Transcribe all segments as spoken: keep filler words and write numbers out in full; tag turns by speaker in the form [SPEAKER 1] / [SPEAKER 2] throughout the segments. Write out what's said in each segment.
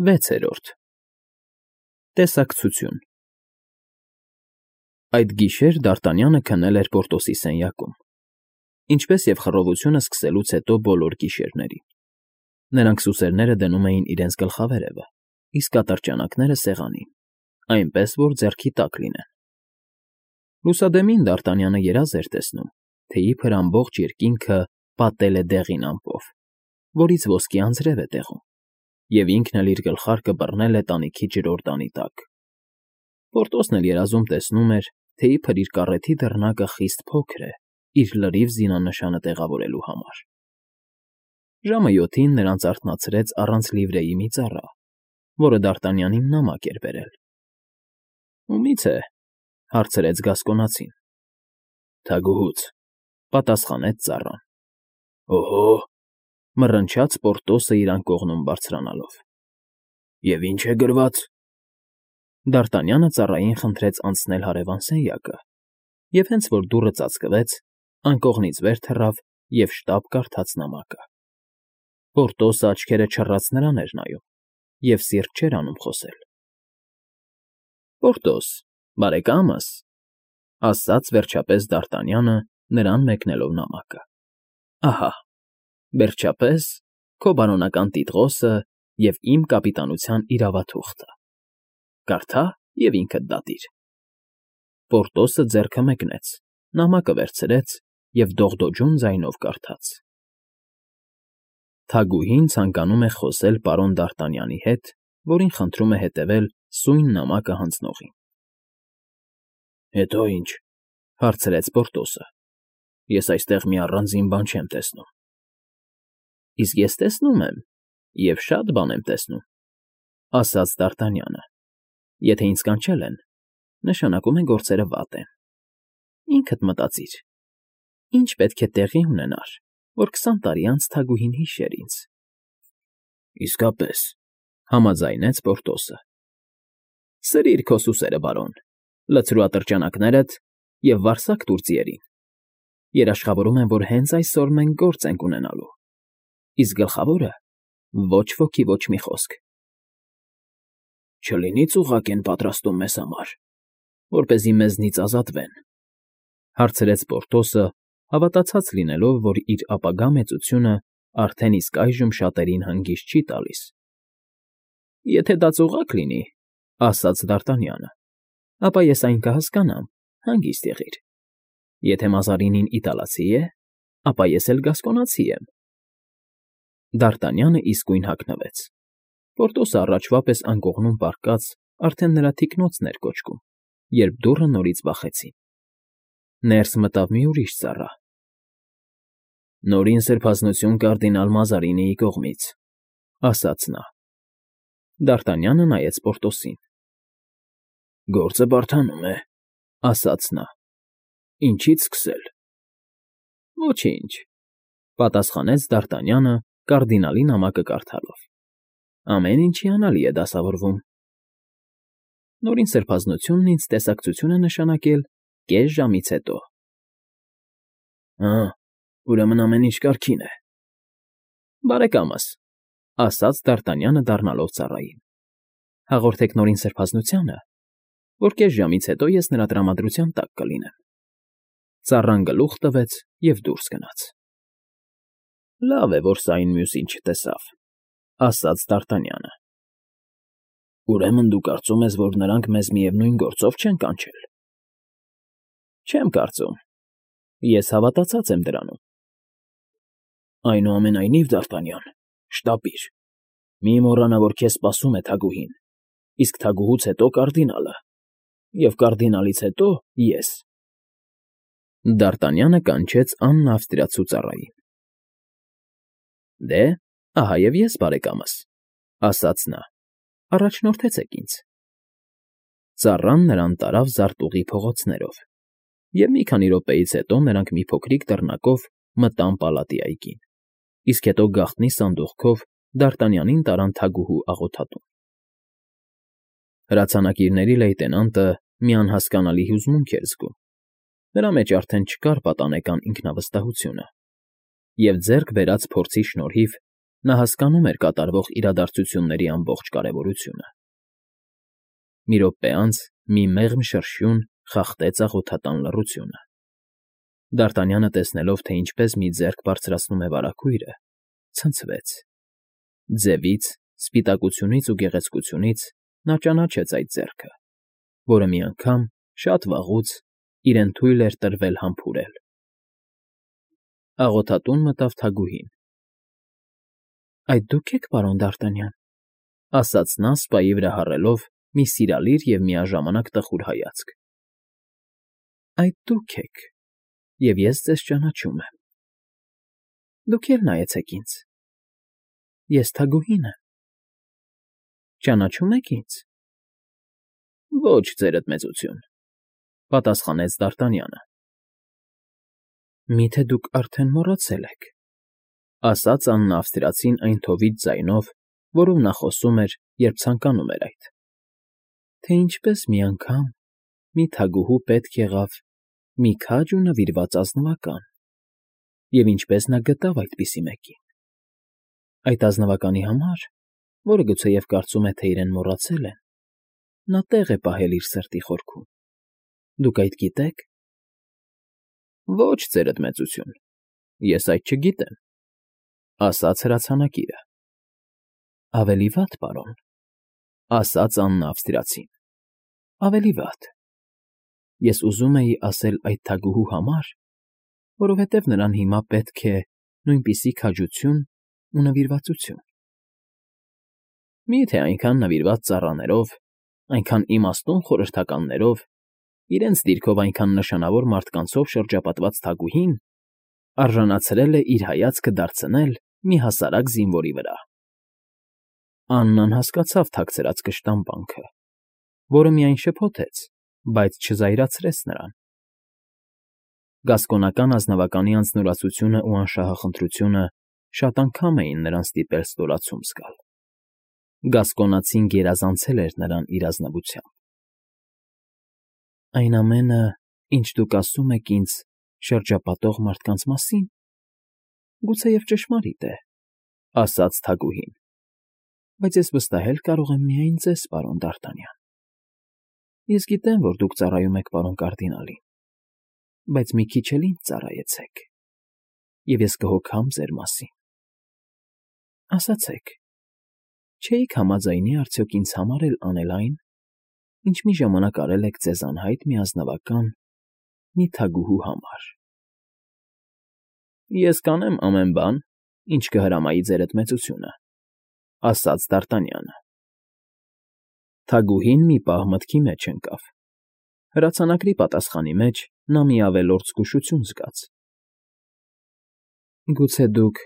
[SPEAKER 1] Վեցերորդ Տեսակցություն Այդ գիշեր Դ'Արտանյանը քնել էր Պորտոսի սենյակում, ինչպես և խռովությունը սկսելուց հետո բոլոր գիշերներին. նրանք սուսերները դնում էին իրենց գլխավերևը, իսկ ատրճանակները՝ սեղանին, այնպես որ ձեռքի տակ լինեն։ Լուսադեմին Դ'Արտանյանը երազ էր տեսնում, թե իբր ամբողջ երկինքը պատել է դեղին ամպով, որից ոսկի անձրև է տեղում, և ինքն էլ իր գլխարկը բռնել է տանիքի ջրորդանի տակ։ Պորտոսն էլ երազում տեսնում էր, թե իբր իր կառեթի դռնակը խիստ փոքր է իր լրիվ զինանշանը տեղավորելու համար։ Ժամը յոթին նրանց արթնացրեց առանց լիվրեի մի ծառա, որը Դ'Արտանյանին նամակ էր բերել։ ֊ Ումի՞ց է,֊ հարցրեց Գասկոնացին։ ֊ Թագուհուց,֊ պատասխանեց ծառան։ ֊ Օհո,֊ մռնչաց Պորտոսը իր անկողնում բարձրանալով։ ֊ Եվ ի՞նչ է գրված։ Դ'Արտանյանը ծառային խնդրեց անցնել հարևան սենյակը, և հենց որ դուռը ծածկվեց, անկողնից վեր թռավ և շտապ կարդաց նամակը։ Պորտոսը աչքերը չռած նրան էր նայում և սիրտ չէր անում խոսել։ ֊ Պորտոս, բարեկա՞մս,֊ ասաց վերջապես Դ'Արտանյանը, նրան մեկնելով նամակը,֊ ահա, վերջապես, քո բարոնական տիտղոսը և իմ կապիտանության իրավաթուղթը. կարդա և ինքդ դատիր։ Պորտոսը ձեռքը մեկնեց, նամակը վերցրեց և դողդոջուն ձայնով կարդաց. Թագուհին ցանկանում է խոսել պարոն Դ'Արտանյանի հետ, որին խնդրում է հետևել սույն նամակը հանձնողին։ ֊ Հետո ի՞նչ,֊ հարցրեց Պորտոսը։ Ես այստեղ մի առանձին բան չեմ տեսնում։ ֊ Իսկ ես տեսնում եմ, և շատ բան եմ տեսնում,֊ ասաց Դ'Արտանյանը։ Եթե ինձ կանչել են, նշանակում է գործերը վատ են։ Ինքդ մտածիր. ի՞նչ պետք է տեղի ունենար, որ քսան տարի անց թագուհին հիշեր ինձ։ ֊ Իսկապես,֊ համաձայնեց Պորտոսը։ ֊ Սրիր քո սուսերը, բարոն, լցրու ատրճանակներդ և վարձակ տուր ձիերին։ Երաշխավորում եմ, որ հենց այսօր մենք գործ ենք ունենալու, իսկ գլխավորը՝ ոչ ոքի ոչ մի խոսք։ ֊ Չլինի՞ ծուղակ են պատրաստում մեզ համար, որպեսզի մեզնից ազատվեն,֊ հարցրեց Պորտոսը, հավատացած լինելով, որ իր ապագա մեծությունը արդեն իսկ այժմ շատերին հանգիստ չի տալիս։ ֊ Եթե դա ծուղակ լինի,֊ ասաց Դ'Արտանյանը,֊ ապա ես այն կհասկանամ, հանգիստ եղիր։ Եթե Մազարինին իտալացի է, ապա ես էլ գասկոնացի եմ։ Դ'Արտանյանը իսկույն հագնվեց։ Պորտոսը առաջվա պես անկողնում պառկած արդեն նրա թիկնոցն էր կոչկում, երբ դուռը նորից բախեցին։ Ներս մտավ մի ուրիշ ծառա։ ֊ Նորին սրբազնություն կարդինալ Մազարինիի կողմից,֊ ասաց նա։ Դ'Արտանյանը նայեց Պորտոսին։ ֊ Գործը բարդանում է,֊ ասաց նա։ ֊ Ինչի՞ց սկսել։ ֊ Ոչինչ,֊ պատասխանեց Դ'Արտանյանը, կարդինալի նամակը կարդալով։ Ամեն ինչ հիանալի է դասավորվում։ Նորին սրբազնությունն ինձ տեսակցություն է նշանակել կես ժամից հետո։ ֊ Ա՛, ուրեմն ամեն ինչ կարգին է։ ֊ Բարեկամս,֊ ասաց Դ'Արտանյանը դառնալով ծառային,֊ հաղորդեք Նորին սրբազնությանը, որ կես ժամից հետո ես նրա տրամադրության տակ կլինեմ։ Ծառան գլուխ տվեց և դուրս գնաց։ ֊ Լավ է, որ սա այն մյուսին չտեսավ,֊ ասաց Դ'Արտանյանը։ ֊ Ուրեմն դու կարծում ես, որ նրանք մեզ միևնույն գործով չեն կանչել։ ֊ Չեմ կարծում, ես հավատացած եմ դրանում։ ֊ Այնուամենայնիվ, Դ'Արտանյան, շտապիր, մի մոռանա, որ քեզ սպասում է թագուհին, իսկ թագուհուց հետո կարդինալը, և կարդինալից հետո՝ ես։ Դ'Արտանյանը կանչեց աննավստրացու ծառային։ ֊ Դե, ահա և ես, բարեկամս,֊ ասաց նա,֊ առաջնորդեցեք ինձ։ Ծառան նրան տարավ զարտուղի փողոցներով, և մի քանի րոպեից հետո նրանք մի փոքրիկ դռնակով մտան պալատի այգին, իսկ հետո գաղտնի սանդուղքով Դ'Արտանյանին տարան թագուհու աղոթատուն։ Հրացանակիրների լեյտենանտը մի անհասկանալի հուզմունք էր զգում, նրա մեջ արդեն չկար պատանեկան ինքնավստահությունը, և ձեռք բերած փորձի շնորհիվ Նա հասկանում էր կատարվող իրադարձությունների ամբողջ կարևորությունը։ Մի րոպե անց մի մեղմ շրշյուն խախտեց աղոթատան լռությունը։ Դ'Արտանյանը, տեսնելով, թե ինչպես մի ձեռք բարձրացնում է վարագույրը, ցնցվեց. ձևից, սպիտակությունից ու գեղեցկությունից նա ճանաչեց այդ ձեռքը, որը մի անգամ, շատ վաղուց, իրեն թույլ էր տրվել համբուրել։ Աղոթատուն մտավ Թագուհին։ ֊ Այդ դու՞ք եք, պարոն Դ'Արտանյան,֊ ասաց նա, սպայի վրա հառելով մի սիրալիր և միաժամանակ տխուր հայացք։ ֊ Այդ դուք եք, և ես ձեզ ճանաչում եմ։ Դուք էլ նայեցեք ինձ. ես Թագուհին եմ։ Ճանաչում եք ինձ։ ֊ Ոչ, ձերդ մեծություն,֊ պատասխանեց Դ'Արտանյանը։ ֊ Մի՞թե դուք արդեն մոռացել եք,֊ ասաց աննա֊ավստրիացին այն թովիթ ձայնով, որով նա խոսում էր, երբ ցանկանում էր այդ,֊ թե ինչպես մի անգամ մի թագուհու պետք եղավ մի քաջ ու նվիրված ազնվական, և ինչպես նա գտավ այդպիսի մեկին։ Այդ ազնվականի համար, որը գուցեև կարծում է, թե իրեն մոռացել են, նա տեղ է պահել իր սրտի խորքում։ Դուք այդ գիտե՞ք։ ֊ Ոչ, ձերդ մեծություն, ես այդ չգիտեմ,֊ ասաց հրացանակիրը։ ֊ Ավելի վատ, պարոն,֊ ասաց աննա֊ավստրիացին,֊ ավելի վատ։ Ես ուզում էի ասել այդ թագուհու համար, որովհետև նրան հիմա պետք է նույնպիսի քաջություն ու նվիրվածություն։ Մի՞թե այնքան նվիրված ծառաներով, այնքան իմաստուն խորհրդականներով, իրենց դիրքով այնքան նշանավոր մարդկանցով շրջապատված թագուհին արժանացրել է իր հայացքը դարձնել մի հասարակ զինվորի վրա։ Աննան հասկացավ թաքցրած կշտամբանքը, որը միայն շփոթեց, բայց չզայրացրեց նրան։ Գասկոնական ազնվականի անձնուրացությունն ու անշահախնդրությունը շատ անգամ էին նրան ստիպել ստորացում զգալ։ Գասկոնացին գերազանցել էր նրան իր ազնվությամբ։ Այն ամենը, ինչ դուք ասում եք ինձ շրջապատող մարդկանց մասի՞ն, գուցեև ճշմարիտ է,֊ ասաց թագուհին,֊ բայց ես վստահել կարող եմ միայն ձեզ, պարոն Դ'Արտանյան։ Ես գիտեմ, որ դուք ծառայում եք պարոն կարդինալին, բայց մի քիչ էլ ինձ ծառայեցեք, և ես կհոգամ ձեր մասին։ Ասացեք, չէի՞ք համաձայնի արդյոք ինձ համար էլ անել այն, ինչ մի ժամանակ արել եք ձեզ անհայտ մի ազնվական, մի թագուհու համար։ ֊ Ես կանեմ ամեն բան, ինչ կհրամայի ձերդ մեծությունը,֊ ասաց Դ'Արտանյանը։ Թագուհին մի պահ մտքի մեջ ընկավ։ Հրացանակրի պատասխանի մեջ նա մի ավելորդ զգուշություն զգաց։ ֊ Գուցե դուք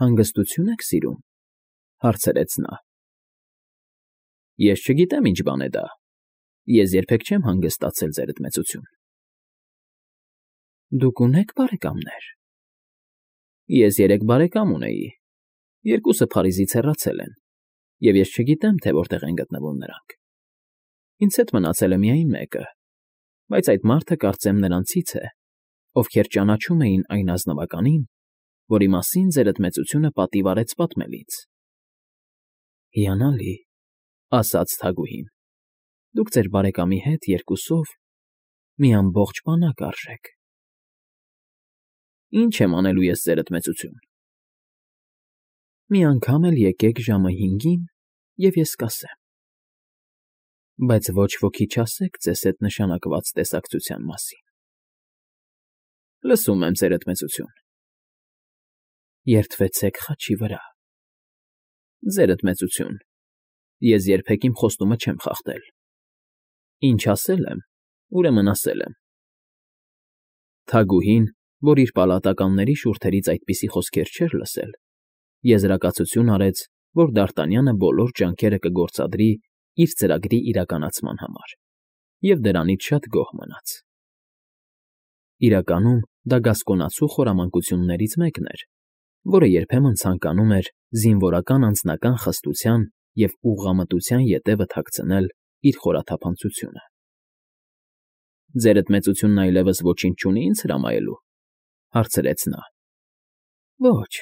[SPEAKER 1] հանգստությո՞ւն եք սիրում,֊ հարցրեց նա։ ֊ Ես չգիտեմ ինչ բան է դա, ես երբեք չեմ հանգստացել, ձերդ մեծություն։ ֊ Դուք ունե՞ք բարեկամներ։ ֊ Ես երեք բարեկամ ունեի, երկուսը Փարիզից հեռացել են, և ես չգիտեմ, թե որտեղ են գտնվում նրանք։ Ինձ հետ մնացել է միայն մեկը, բայց այդ մարդը կարծեմ նրանցից է, ովքեր ճանաչում էին այն ազնվականին, որի մասին ձերդ մեծությունը պատիվ արեց պատմելիս։ ֊ Հիանալի,֊ ասաց թագուհին,֊ դուք ձեր բարեկամի հետ երկուսով մի ամբողջ բանակ արժեք։ ֊ Ի՞նչ եմ անելու ես, ձերդ մեծություն։ ֊ Մի անգամ էլ եկեք ժամը հինգին, և ես կասեմ։ Բայց ոչ ոքի չասեք ձեզ հետ նշանակված տեսակցության մասին։ ֊ Լսում եմ, ձերդ մեծություն։ ֊ Երդվեցեք խաչի վրա։ ֊ Ձերդ մեծություն, ես երբեք իմ խոստումը չեմ խախտել։ Ինչ ասել եմ, ուրեմն ասել եմ։ Թագուհին, որ իր պալատականների շուրթերից այդպիսի խոսքեր չէր լսել, եզրակացություն արեց, որ Դ'Արտանյանը բոլոր ջանքերը կգործադրի իր ծրագրի իրականացման համար, և դրանից շատ գոհ մնաց։ Իրականում դա գասկոնացու խորամանկություններից մեկն էր, որը երբեմն ցանկանում էր զինվորական անձնական խստության և ուղղամտության ետևը թաքցնել իր խորաթափանցությունը։ ֊ Ձերդ մեծությունն այլևս ոչինչ չունի ինձ հրամայելու,֊ հարցրեց նա։ ֊ Ոչ,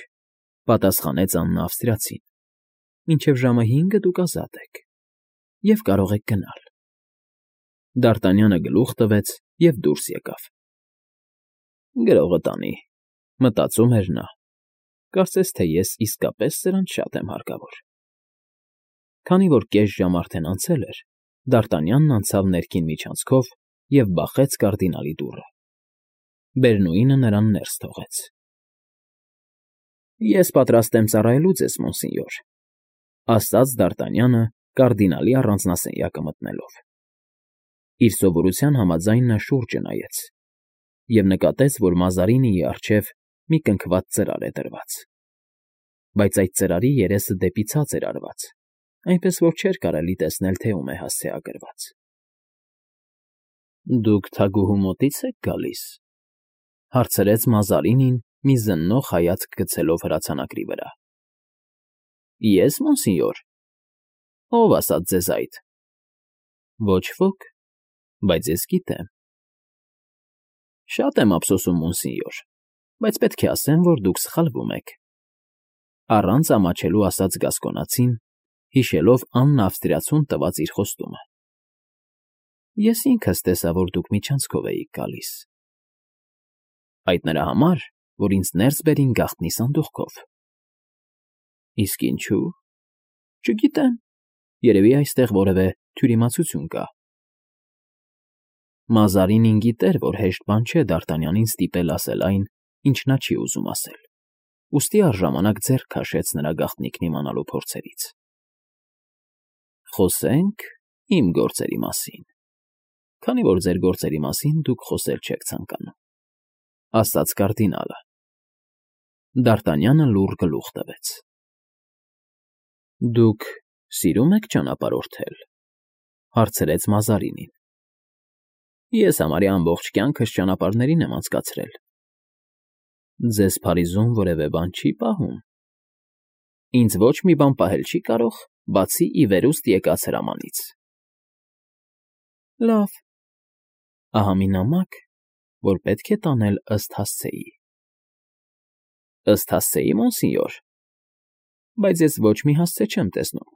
[SPEAKER 1] Պատասխանեց Աննա ավստրիացին։ Մինչև ժամը հինգը դուք ազատ եք և կարող եք գնալ։ Դ'Արտանյանը գլուխ տվեց և դուրս եկավ։ Գրողը տանի, մտածում էր նա, կարծես թե ես իսկապես սրանց շատ եմ հարկավոր։ Քանի որ կես ժամ արդեն անցել էր, Դ'Արտանյանն անցավ ներքին միջանցքով և բախեց կարդինալի դուռը։ Բերնուինը նրան ներս թողեց։ ֊ Ես պատրաստ եմ ծառայելու ձեզ, մոնսենյոր, ֊ ասաց Դ'Արտանյանը կարդինալի առանձնասենյակը մտնելով։ Իր սովորության համաձայն նա շուրջը նայեց և նկատեց, որ Մազարինիի առջև մի կնքված ծրար է դրված, բայց այդ ծրարի երեսը դեպի ցած էր արված, այնպես որ չէր կարելի տեսնել, թե ում է հասցեագրված։ ֊ Դուք թագուհու մոտի՞ց եք գալիս,֊ հարցրեց Մազարինին մի զննող հայացք գցելով հրացանակի վրա։ ֊ Ես, մոնսենյոր։ Ո՞վ ասաց ձեզ այդ։ ֊ Ոչ ոք, բայց ես գիտեմ։ ֊ Շատ եմ ափսոսում, մոնսենյոր, բայց պետք է ասեմ, որ դուք սխալվում եք,֊ առանց ամաչելու ասաց գասկոնացին, հիշելով Աննա ավստրիացուն տված իր խոստումը։ ֊ Ես ինքս տեսա, որ դուք միջանցքով էիք գալիս։ ֊ Այդ նրա համար, որ ինձ ներս բերին գաղտնի սանդուղքով։ ֊ Իսկ ինչո՞ւ։ ֊ Չգիտեմ, երևի այստեղ որևէ թյուրիմացություն կա։ Մազարինին գիտեր, որ հեշտ բան չէ Դ'Արտանյանին ստիպել ասել այն, ինչ նա չի ուզում ասել, ուստի առժամանակ ձեռք քաշեց նրա գաղտնիքն իմանալու փորձերից։ ֊ Խոսենք իմ գործերի մասին, քանի որ ձեր գործերի մասին դուք խոսել չեք ցանկանում,֊ ասաց կարդինալը։ Դ'Արտանյանը լուռ գլուխ տվեց։ ֊ Դուք սիրո՞ւմ եք ճանապարհորդել,֊ հարցրեց Մազարինին։ ֊ Ես համարյա ամբողջ կյանքս ճանապարհներին եմ անցկացրել։ ֊ Ձեզ Փարիզում որևէ բան չի պահում։ ֊ Ինձ ոչ մի բան պահել չի կարող, բացի ի վերուստ եկած հրամանից։ ֊ Լավ, ահա մի նամակ, որ պետք է տանել ըստ հասցեի։ ֊ Ըստ հասցեի, մոնսենյոր, բայց ես ոչ մի հասցե չեմ տեսնում։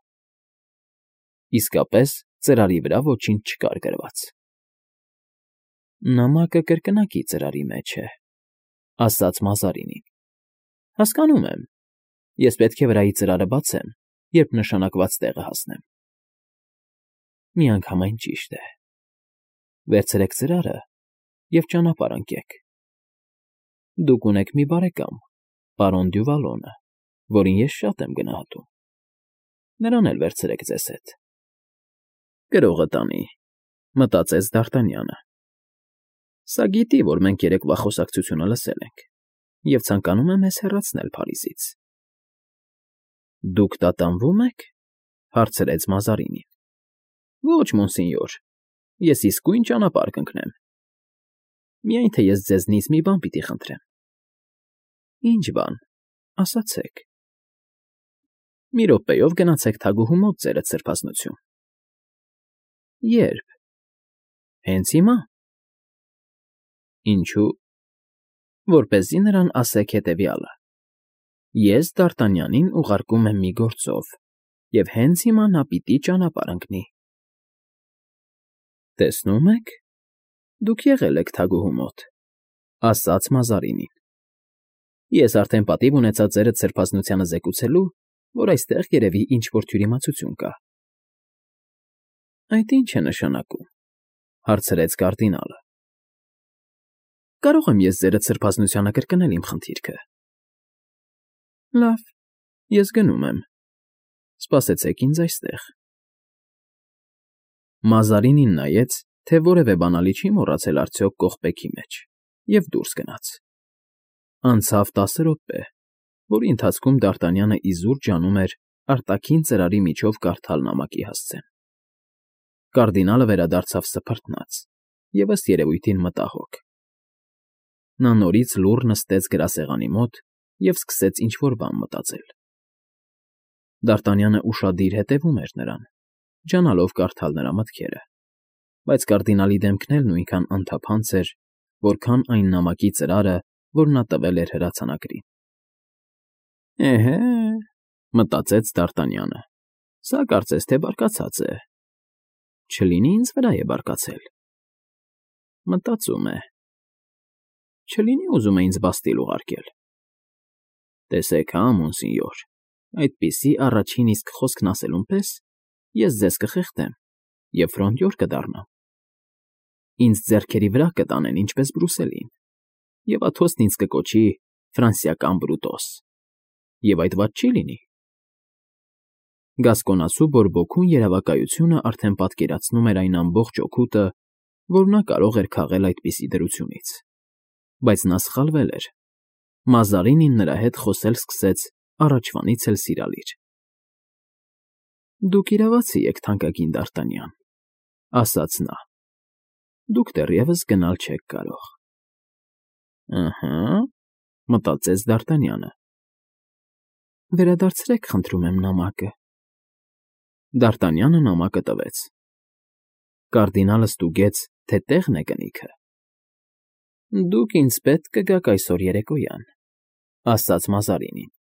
[SPEAKER 1] Իսկապես ծրարի վրա ոչինչ չկար գրված։ ֊ Նամակը կրկնակի ծրարի մեջ է,֊ ասաց Մազարինին։ ֊ Հասկանում եմ, ես պետք է վրայի ծրարը բացեմ, երբ նշանակված տեղը հասնեմ։ ֊ Միանգամայն ճիշտ է։ Վերցրեք ծրարը և ճանապարհ ընկեք։ Դուք ունեք մի բարեկամ, պարոն Դյուվալոնը, որին ես շատ եմ գնահատում։ Նրան էլ վերցրեք ձեզ հետ։ Գրողը տանի, մտածեց Դ'Արտանյանը։ Սա գիտի, որ մենք երեկվա խոսակցությունը լսել ենք և ցանկանում է մեզ հեռացնել Փարիզից։ ֊ Դուք տատանվո՞ւմ եք,֊ հարցրեց Մազարինին։ ֊ Ոչ, մոնսենյոր, ես իսկույն ճանապարհ կընկնեմ։ Միայն թե ես ձեզնից մի բան պիտի խնդրեմ։ ֊ Ի՞նչ բան, ասացեք։ ֊ Մի րոպեով գնացեք թագուհու մոտ, ձերդ սրբազնություն։ ֊ Ե՞րբ։ ֊ Հենց հիմա։ ֊ Ինչո՞ւ։ ֊ Որպեսզի նրան ասեք հետևյալը. ես Դ'Արտանյանին ուղարկում եմ մի գործով, և հենց հիմա նա պիտի ճանապարհ ընկնի։ ֊ Տեսնում եք, դուք եղել եք թագուհու մոտ,֊ ասաց Մազարինին։ Ես արդեն պատիվ ունեցա ձերդ սրբազնությանը զեկուցելու, որ այստեղ երևի ինչ֊որ թյուրիմացություն կա։ ֊ Այդ ի՞նչ է նշանակում,֊ հարցրեց կարդինալը։ ֊ Կարո՞ղ եմ ես ձերդ սրբազնությանը կրկնել իմ խնդիրքը։ ֊ Լավ, ես գնում եմ, սպասեցեք ինձ այստեղ։ Մազարինին նայեց, թե որևէ բանալի չի մոռացել արդյոք կողպեքի մեջ, և դուրս գնաց։ Անցավ տասը րոպե, որի ընթացքում Դ'Արտանյանը իզուր ջանում էր արտաքին ծրարի միջով կարդալ նամակի հասցեն։ Կարդինալը վերադարձավ սփռտնաց և, ըստ երևույթին, մտահոգ։ Նա նորից լուռ նստեց գրասեղանի մոտ և սկսեց ինչ֊որ բան մտածել։ Դ'Արտանյանը ուշադիր հետևում էր նրան, ջանալով կարդալ նրա մտքերը, բայց կարդինալի դեմքն էլ նույնքան անթափանց էր, որքան այն նամակի ծրարը, որ նա տվել էր հրացանակրին։ Էհե, մտածեց Դ'Արտանյանը, սա կարծես թե բարկացած է, չլինի ինձ վրա է բարկացել, մտածում է, չլինի ուզում է ինձ բաստիլ ուղարկել, տեսեք հա, մոնսինյոր, այդպիսի առաջին իսկ խոսքն ասելուն պես ես ձեզ կխեղդեմ և ֆրոնտյոր կդառնամ, ինձ ձեռքերի վրա կտանեն ինչպես Բրուսելին, և աթոստն ինձ կկոչի ֆրանսիական Բրուտոս, և այդ վատ չի լինի։ Գասկոնացու բորբոքուն երևակայությունը արդեն պատկերացնում էր այն ամբողջ օգուտը, որ նա կարող էր քաղել այդպիսի դրությունից, բայց նա սխալվել էր, Մազարինին նրա հետ խոսել սկսեց առաջվանից էլ սիրալիր։ Դուք իրավացի եք, թանկագին Դ'Արտանյան, ասաց նա, դուք դեռևս գնալ չեք կարող։ Ըհը, մտածեց Դ'Արտանյանը, վերադարձրեք, խնդրում եմ, նամակը։ Դ'Արտանյանը նամակը տվեց։ Կարդինալը ստուգեց, թե տեղն է կնիքը։ Դուք ինձ պետք կգաք այսօր երեկոյան, ասաց Մազարինին։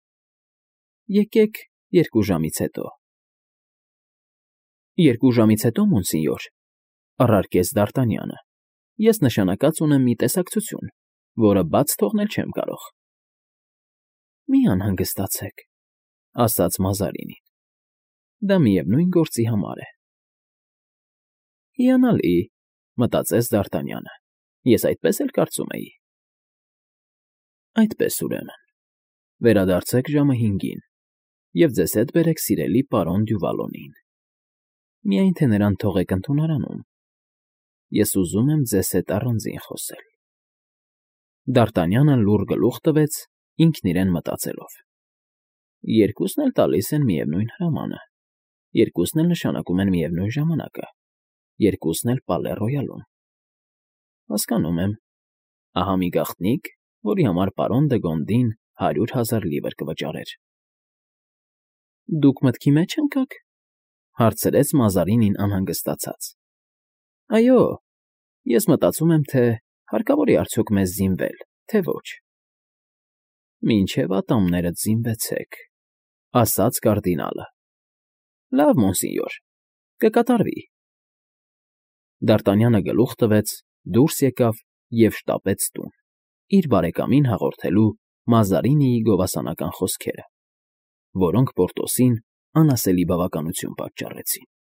[SPEAKER 1] Եկեք երկու ժամից հետո։ Երկու ժամից հետո, մոնսինյոր, առարկեց Դ'Արտանյանը, ես նշանակած ունեմ մի տեսակցություն, որը բաց թողնել չեմ կարող։ Մի անհանգստացեք, ասաց Մազարինին, դա միևնույն գործի համար է։ Հիանալի, մտածեց Դ'Արտանյանը, ես այդպես էլ կարծում էի։ Այդպես ուրեմն, վերադարձեք ժամը հինգին և ձեզ հետ բերեք սիրելի պարոն Դյուվալոնին, միայն թե նրան թողեք ընդունարանում, ես ուզում եմ ձեզ հետ առանձին խոսել։ Դ'Արտանյանը լուռ գլուխ տվեց, ինքն իրեն մտածելով. երկուսն էլ տալիս են միևնույն հրամանը, երկուսն էլ նշանակում են միևնույն ժամանակը, երկուսն էլ Պալե Ռոյալում։ Հասկանում եմ, ահա մի գաղտնիք, որի համար պարոն Դեգոնդին հարյուր հազար լիվր կվճարեր։ Դուք մտքի մեջ ընկա՞ք, հարցրեց Մազարինին անհանգստացած։ Այո, ես մտածում եմ, թե հարկավոր է արդյոք մեզ զինվել, թե ոչ։ Մինչև ատամներդ զինվեցեք, ասաց կարդինալը։ Լավ, մոնսինյոր, կկատարվի։ Դ'Արտանյանը գլուխ տվեց, դուրս եկավ և շտապեց տուն, իր բարեկամին հաղորդելու Մազարինիի գովասանական խոսքերը, որոնք Պորտոսին անասելի բավականություն պատճառեցին։